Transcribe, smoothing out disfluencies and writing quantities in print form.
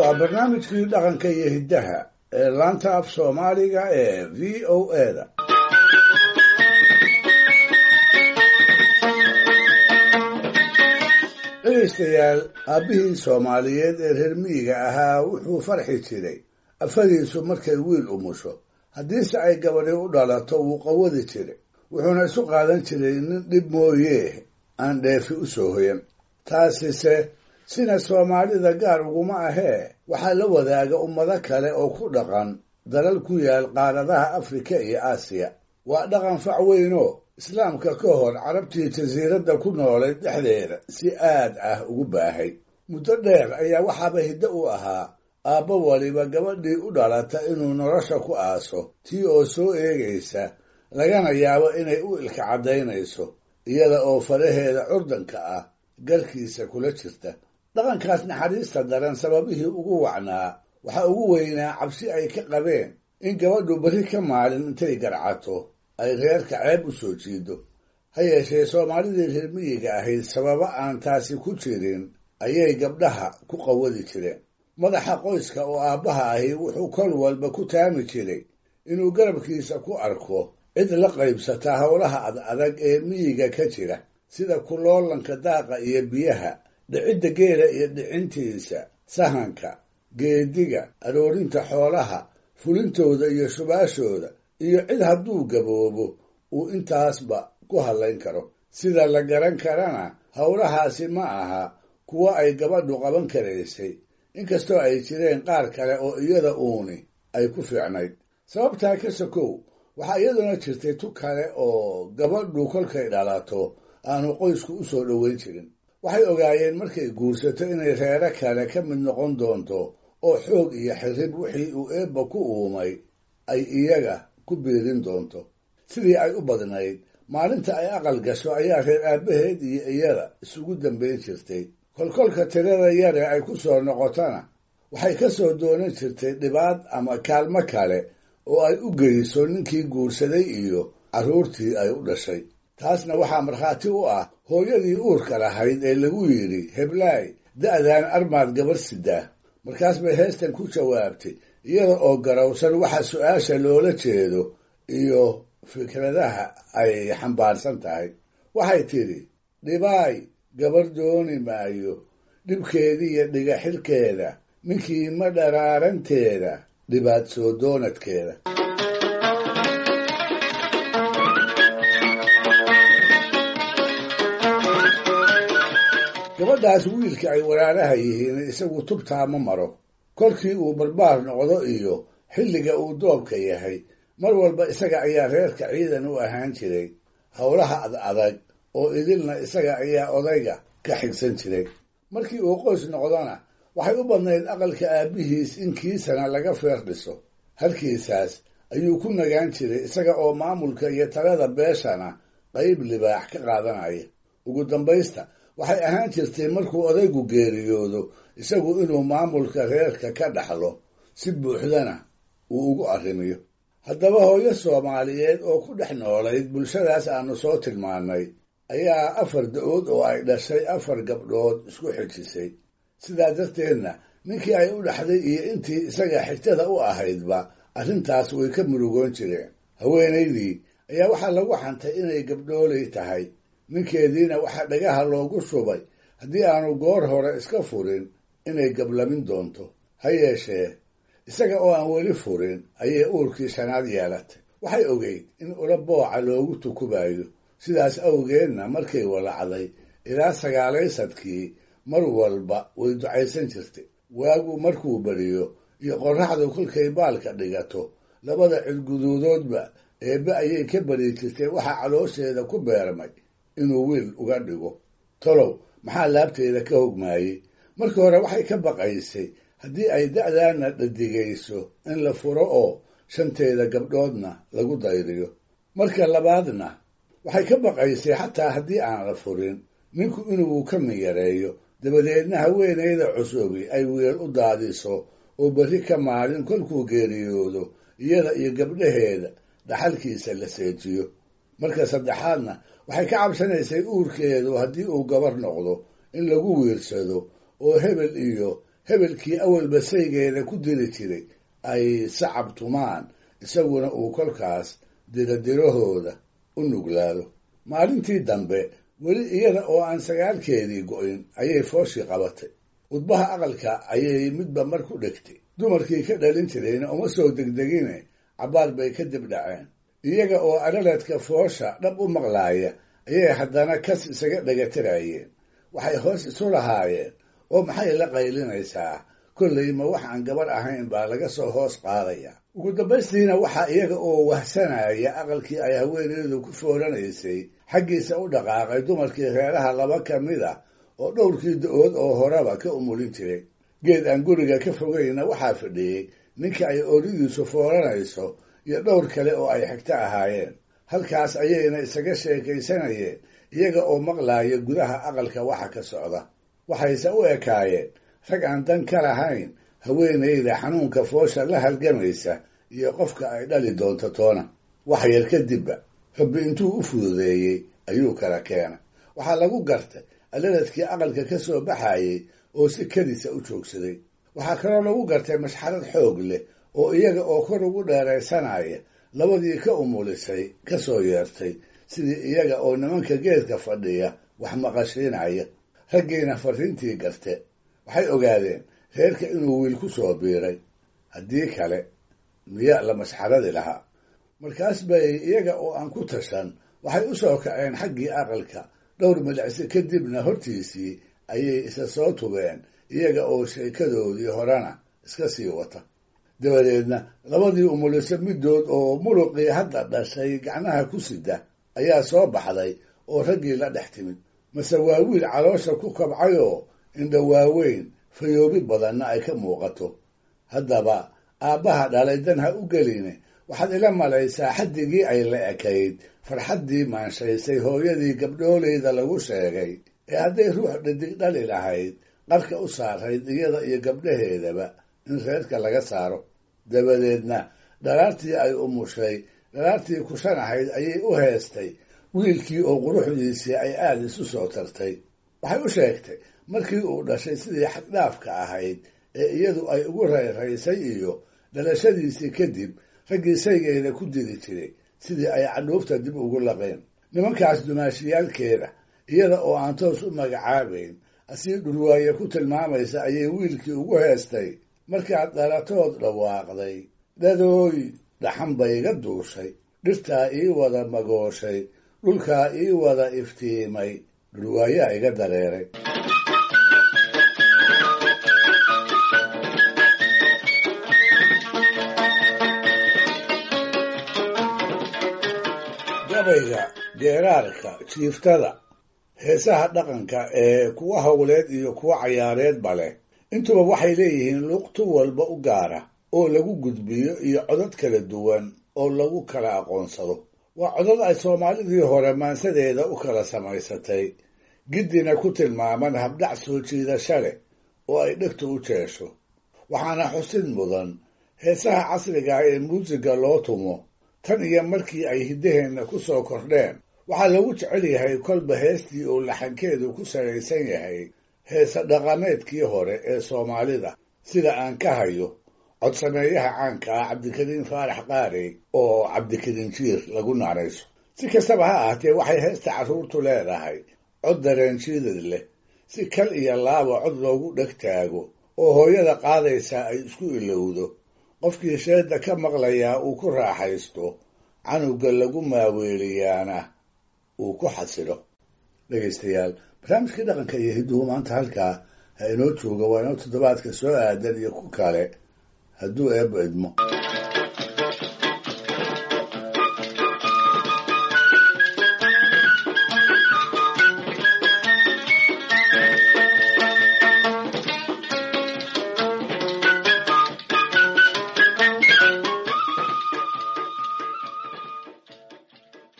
Waa barnaamijkii dhaqanka iyo hiddaha ee laanta af Soomaaliga ee VOA-da. Dhegaystayaal, aabbihii Soomaaliyeed ee reer miyiga ahaa wuxuu farxi jiray afadiisu markay wiil umusho. Haddiise ay gabadhi u dhalato, wuu qawadi jiray, wuxuuna isu qaadan jiray nin dhib mooyee aan dheefi u soo hoyan. Taasise sina Soomaalida gaar uguma ahee, waxaa la wadaaga ummado kale oo ku dhaqan dalal ku yaal qaaradaha Afrika iyo Aasiya. Waa dhaqan fac weynoo Islaamka ka hor Carabtii jasiiradda ku noolayd dhexdeeda si aad ah ugu baahay. Muddo dheer ayaa waxaaba hiddo u ahaa aabbo waliba gabadhii u dhalata inuu nolosha ku aaso, tii oo soo eegaysa, lagana yaabo inay u ilka caddaynayso, iyada oo faraheeda curdanka ah galkiisa kula jirta. Dhaqankaas naxariista daran sababihii ugu wacnaa waxaa ugu weynaa cabsi ay ka qabeen in gabadhu berri ka maalin intay garcato ay reerka ceeb u soo jiido. Ha yeeshee, Soomaalidii reer miyiga ahayd sababo aan taasi ku jirin ayay gabdhaha ku qawadi jireen. Madaxa qoyska oo aabbaha ahi wuxuu kol walba ku taami jiray inuu garabkiisa ku arko cid la qaybsata howlaha ad adag ee miyiga ka jira, sida kuloolanka daaqa iyo biyaha, dhicidda geela iyo dhicintiisa, sahanka, geediga, aroorinta xoolaha, fulintooda iyo shubaashooda, iyo cid hadduu gaboobo uu intaasba ku hadlayn karo. Sida la garan karana, howlahaasi ma aha kuwo ay gabadhu qaban karaysay, inkastoo ay jireen qaar kale oo iyada uuni ay ku fiicnayd. Sababtaa ka sokow, waxaa iyaduna jirtay tu kale oo gabadhu kolkay dhalato aanu qoysku u soo dhoweyn jirin. Waxay ogaayeen markay guursato inay reero kale ka mid noqon doonto, oo xoog iyo xirrib wixii uu Eebba ku uumay ay iyaga ku biirin doonto. Sidii ay u badnayd, maalinta ay aqal gasho ayaa reer aabbaheed iyo iyada isugu dambayn jirtay. Kolkolka tirada yare ay ku soo noqotona, waxay ka soo doonan jirtay dhibaad ama kaalmo kale oo ay u geyso ninkii guursaday iyo carruurtii ay u dhashay. Taasna waxaa markhaati u ah hooyadii uurka lahayd ee lagu yidhi, "Heblaay, da'daan armaad gabar sidaa?" Markaas bay heestan ku jawaabtay, iyada oo garowsan waxa su'aasha loola jeedo iyo fikradaha ay xambaarsan tahay. Waxay tidhi: "Dhibaay, gabar dooni maayo, dhibkeediiyo dhigaxilkeeda, ninkii ma dharaaranteeda, dhibaad soo doonadkeeda." Gabadhaas wiilka ay walaalaha yihiin isagu tubtaa ma maro. Kolkii uu barbaar noqdo iyo xilliga uu doobka yahay, mar walba isaga ayaa reerka ciidan u ahaan jiray. Howlaha ad adag oo idilna isaga ayaa odayga ka xigsan jiray. Markii uu qoys noqdona, waxay u badnayd aqalka aabbihiis in kiisana laga feer dhiso. Halkiisaas ayuu ku nagaan jiray, isaga oo maamulka iyo talada beeshana qayb libaax ka qaadanaya. Ugu dambaysta, waxay ahaan jirtay markuu odaygu geeriyoodo isagu inuu maamulka reerka ka dhaxlo, si buuxdana uu ugu arrimiyo. Haddaba, hooyo Soomaaliyeed oo ku dhex noolayd bulshadaas aanu soo tilmaannay ayaa afar da'ood oo ay dhashay afar gabdhood isku xijisay. Sidaa darteedna ninkii ay u dhaxday iyo intii isaga xigtada u ahaydba arrintaas way ka murugoon jireen. Haweenaydii ayaa waxaa lagu xantay inay gabdhoolay tahay, ninkeediina waxaa dhagaha loogu shubay haddii aanu goor hore iska furin inay gablamin doonto. Ha yeeshee, isaga oo aan weli furin ayay uurkii shanaad yeelatay. Waxay ogeyd in ula booca loogu tukubayo, sidaas awgeedna markay walacday ilaa sagaalaysadkii mar walba way ducaysan jirtay. Waagu markuu beriyo iyo qorraxdu kolkay baalka dhigato, labada cidguduudoodba Eebbe ayay ka bari jirtay waxaa caloosheeda ku beermay inuu wiil uga dhigo. Tolow, maxaa laabteeda ka hogmaayey? Markii hore waxay ka baqaysay haddii ay da'daana dhadigayso in la furo oo shanteeda gabdhoodna lagu dayriyo. Marka labaadna waxay ka baqaysay xataa haddii aan la furin, ninku inuu ka miyareeyo, dabadeedna haweenayda cusubi ay wiil u daadiso, oo berri ka maalin kolkuu geeriyoodo iyada iyo gabdhaheeda dhaxalkiisa la seejiyo. Marka saddexaadna waxay ka cabsanaysay uurkeedu haddii uu gabar noqdo in lagu wiirsado oo hebel iyo Hebelkii awalba saygeeda ku diri jiray ay sacab tumaan, isaguna uu kolkaas diradirahooda u nuglaado. Maalintii dambe weli iyada oo aan sagaalkeedii go'in ayay fooshii qabatay. Udbaha aqalka ayay midba mar ku dhegtay. Dumarkii ka dhalin jirayna uma soo degdegine, cabbaar bay ka dib dhaceen. Iyaga oo alaladka foosha dhab u maqlaaya ayay haddana kas isaga dhegatirayeen. Waxay hoos isu lahaayeen, oo maxay la qaylinaysaa? Kollay ma wax aan gabar ahayn baa laga soo hoos qaadaya. Ugu dambaystiina waxaa iyaga oo wahsanaya aqalkii ay haweeneydu ku fooranaysay xaggiisa u dhaqaaqay dumarkii reeraha laba ka mid ah oo dhowrkii da-ood oo horeba ka umulin jiray. Geed aan guriga ka fogayna waxaa fadhiyey ninka ay ooridiisu fooranayso iyo dhowr kale oo ay xigto ahaayeen. Halkaas ayayna isaga sheekaysanayeen iyaga oo maqlaaya gudaha aqalka waxa ka socda. Waxayse u ekaayeen rag aan dan ka lahayn haweeneyda xanuunka foosha la halgamaysa iyo qofka ay dhali doonto toona. Wax yar kadibba Rabbi intuu u fududeeyey ayuu kala keenay. Waxaa lagu gartay alaladkii aqalka ka soo baxayey oo si kedisa u joogsaday. Waxaa kaloo lagu gartay mashxarad xoog leh oo iyaga oo kor ugu dheeraysanaya labadii ka umulisay ka soo yeertay, sidii iyaga oo nimanka geedka fadhiya wax maqashiinaya. Raggiina farriintii garte. Waxay ogaadeen reerka inuu wiil ku soo biiray, haddii kale miya la mashxaradi lahaa. Markaas bay iyaga oo aan ku tashan waxay u soo kaceen xaggii aqalka. Dhowr milicsi kadibna hortiisii ayay isa soo tubeen iyaga oo sheekadoodii horena iska sii wata. Dabadeedna labadii umuliso middood oo muluqii hadda dhashay gacnaha ku sida ayaa soo baxday oo raggii la dhex timid. Mase waa wiil caloosha ku kabcayoo indha waaweyn, fayoobi badanna ay ka muuqato. Haddaba aabbaha dhalay dan ha u geline, waxaad ila malaysaa xaddigii ay la ekayd farxaddii maanshaysay hooyadii gabdhooleyda lagu sheegay ee hadday ruux dhadig dhali lahayd qarka u saarayd iyada iyo gabdhaheedaba in reerka laga saaro. Dabadeedna dhalaartii ay umushay, dhalaartii kushan ahayd ayay u heestay wiilkii oo quruxdiisii ay aada isu soo tartay. Waxay u sheegtay markii uu dhashay sidii xaddhaafka ahayd ee iyadu ay ugu rayraysay iyo dhalashadiisii kadib raggii saygeeda ku diri jiray sidii ay cadhuufta dib ugu laqeen. Nimankaas dumaashiyaalkeeda iyada oo aan toos u magacaabayn asii dhurwaaye ku tilmaamaysa ayay wiilkii ugu heestay: markaad dhalatood dhawaaqday, dhadooy dhaxan bay iga duushay, dhirtaa ii wada magooshay, dhulkaa ii wada iftiimay, dhurwaayaa iga dareeray. Gabayga, geeraarka, jiiftada, heesaha dhaqanka ee kuwa howleed iyo kuwa cayaareedba leh intuba waxay leeyihiin luqtu walba u gaara oo lagu gudbiyo iyo codad kala duwan oo lagu kala aqoonsado. Waa codad ay Soomaalidii hore maansadeeda u kala samaysatay, giddina ku tilmaaman habdhac soo jiidasha leh oo ay dhegtu u jeesho. Waxaana xusid mudan heesaha casriga ah ee muusiga loo tumo tan iyo markii ay hiddaheenna ku soo kordheen waxaa lagu jecel yahay kolba heestii uu laxankeedu ku salaysan yahay heese dhaqameedkii hore ee Soomaalida, sida aan ka hayo codsameeyaha caanka ah Cabdikariin Faarax Qaarey oo Cabdikariin Jiir lagu naanayso. Si kastaba ha ahaatee, waxay heesta carruurtu leedahay cod dareenjiidad leh, si kal iyo laaba cod loogu dheg taago oo hooyada qaadaysaa ay isku ilowdo, qofkii sheedda ka maqlayaa uu ku raaxaysto, canuga lagu maaweeliyaana uu ku xasilo. Dhegaystayaal, barnaamijkii dhaqanka iyo hidduhu maanta halkaa ha inoo jooga. Waa inoo toddobaadka soo aadan iyo ku kale hadduu Eebba idmo.